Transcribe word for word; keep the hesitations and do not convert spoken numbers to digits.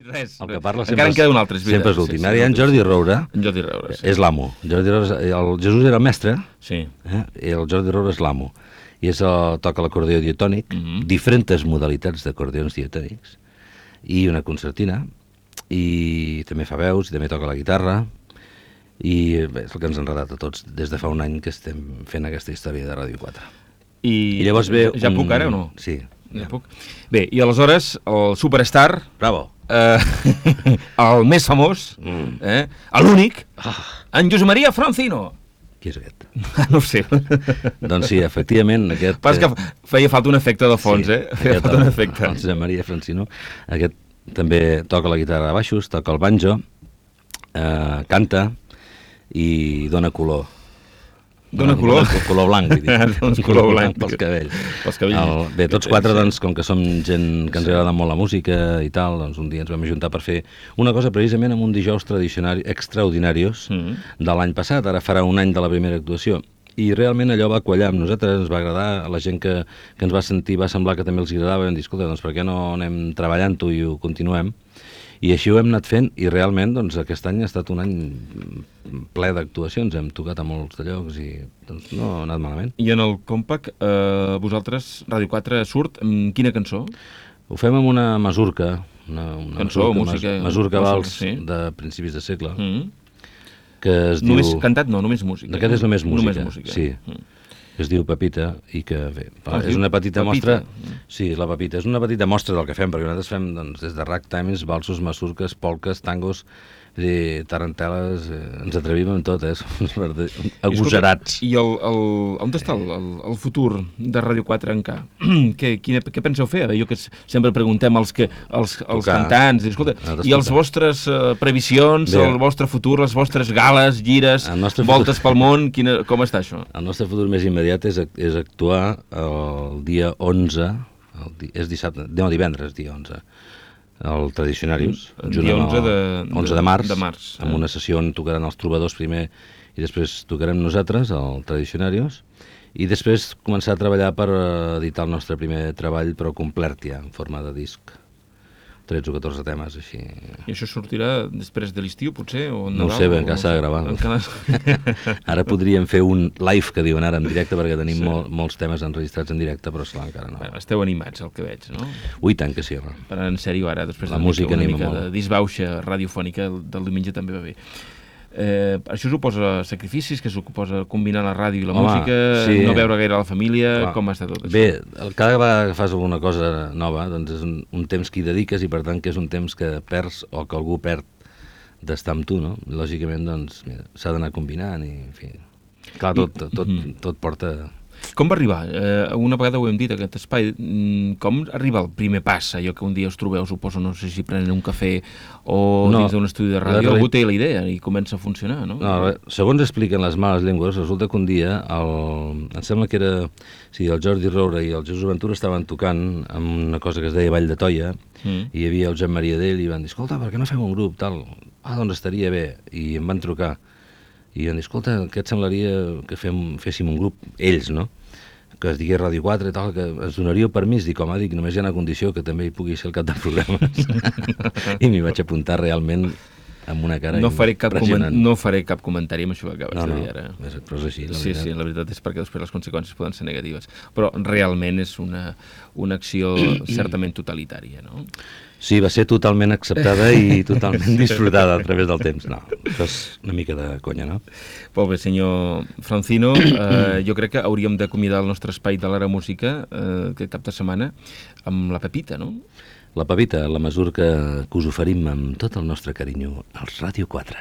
Res, El que res. parla Encara sempre, en queda un altre, és sempre és veritat. l'últim. Sí, sí, Ara hi ha en Jordi Roura, En Jordi Roura, sí. és l'amo. Jordi Roura, és- el Jesús era el mestre, Sí. eh? I el Jordi Roura és l'amo. I és el, toca l'acordió diatònic, Mhm. diferents modalitats d'acordions diatònics, i una concertina, i també fa veus, i també toca la guitarra, i bé, és el que ens ha enredat a tots des de fa un any que estem fent aquesta història de Ràdio quatre. I, I llavors ve ja, ja puc un- ara o no? Sí. Ja puc. Bé, i aleshores el superstar, Bravo. eh, el més famós, Mm. eh, l'únic, Ah, en Josep Maria Francino. qui és aquest? No ho sé. Doncs sí, efectivament, aquest... Pas que eh, feia falta un efecte de fons, sí, eh? Feia aquest, falta un el- efecte. El Josep Maria Francino, aquest també toca la guitarra de baixos, toca el banjo, eh, canta i dona color. Dona color? Dona color blanc, vull dir. Doncs color blanc. Pels cabells. Pels cabells. El, bé, tots quatre, Sí. doncs, com que som gent que ens agrada molt la música i tal, doncs un dia ens vam ajuntar per fer una cosa precisament amb un dijous tradicionari, extraordinarios Mm. de l'any passat, ara farà un any de la primera actuació. I realment allò va quallar amb nosaltres, ens va agradar, a la gent que, que ens va sentir va semblar que també els agradava, i vam dir, escolta, doncs per què no anem treballant-ho i ho continuem? I així ho hem anat fent, i realment doncs, aquest any ha estat un any ple d'actuacions, hem tocat a molts de llocs i doncs, no ha anat malament. I en el Compact, eh, vosaltres, Ràdio quatre, surt amb quina cançó? Ho fem amb una masurca, una, una Cançó, masurca, música, mas- masurca música, vals sí. de principis de segle, Mm. que es Només diu... cantat? No, només música. Aquest és només música, Només música. sí. Mm. Es diu Pepita, i que bé, Ah, es és diu una petita Pepita. mostra... Sí, la Pepita, és una petita mostra del que fem, perquè nosaltres fem doncs, des de ragtimes, valsos, masurques, polques, tangos, i tarantel·les, eh, ens atrevim amb tot, eh? Som agosarats. I el, el, on està el, el, el futur de Ràdio quatre en K? què, quina, què penseu fer? Jo que s- sempre preguntem als, que, als, als Tocar. cantants, i, escolta, Nosaltres i els tocar. vostres uh, previsions, Bé. el vostre futur, les vostres gales, gires, El nostre voltes futur- pel món, quina, com està això? El nostre futur més immediat és, ac- és actuar el dia onze, el di, és dissabte, no, divendres, dia onze, el Tradicionarius, El junt dia amb onze el- de- onze de- de març, de març, amb eh? una sessió on tocaran els trobadors primer i després tocarem nosaltres, el Tradicionarius, i després començar a treballar per eh, editar el nostre primer treball, però complet ja, en forma de disc. tretze o catorze temes, així. I això sortirà després de l'estiu, potser? O No ho Nadal, sé, o encara s'ha de gravar. Encara... Ara podríem fer un live, que diuen ara, en directe, perquè tenim Sí. mol, molts temes enregistrats en directe, però esclar, encara no. Bueno, esteu animats, el que veig, no? Ui, tant que sí, home. Per en sèrio, ara, després La de música una anima mica molt. de disbauxa radiofònica del diumenge també va bé. Eh, això suposa sacrificis, que suposa combinar la ràdio i la Home, música, sí. no veure gaire la família, Clar. com està tot això? Bé, el- cada vegada que fas alguna cosa nova, doncs és un, un temps que hi dediques i per tant que és un temps que perds o que algú perd d'estar amb tu, no? Lògicament, doncs, mira, s'ha d'anar combinant i, en fi... Clar, tot, tot, tot, tot porta... Com va arribar? Eh, una vegada ho hem dit, aquest espai. Mm, Com arriba el primer pas? Allò que un dia us trobeu, suposo, no sé si prenen un cafè o No, dins d'un estudi de la ràdio, reali- algú té la idea i comença a funcionar, no? No, re- segons expliquen les males llengües, resulta que un dia, el, em sembla que era... Sí, el Jordi Roura i el Jesús Ventura estaven tocant amb una cosa que es deia Vall de Toia, Mm. i hi havia el Joan Maria d'ell i van dir, escolta, per què no fem un grup, tal? Ah, doncs estaria bé. I em van trucar. I van dir, escolta, què et semblaria que fem, féssim un grup, ells, no?, que es digués Ràdio quatre i tal, que ens donaria permís, dic, home, dic, només hi ha una condició, que també hi pugui ser el cap de programes. I m'hi vaig apuntar realment amb una cara No faré, cap coment impressionant. no faré cap comentari amb això que acabes No, de no, dir ara. és, però és així, la Sí, veritat. sí, la veritat és perquè després les conseqüències poden ser negatives. Però realment és una, una acció certament totalitària, no? Sí, va ser totalment acceptada i totalment disfrutada a través del temps. No, això és una mica de conya, no? Molt bé, senyor Francino, eh, jo crec que hauríem d'acomiadar el nostre espai de l'Ara Música eh, aquest cap de setmana amb la Pepita, no? La Pepita, la mesura que, que us oferim amb tot el nostre carinyo als Ràdio quatre.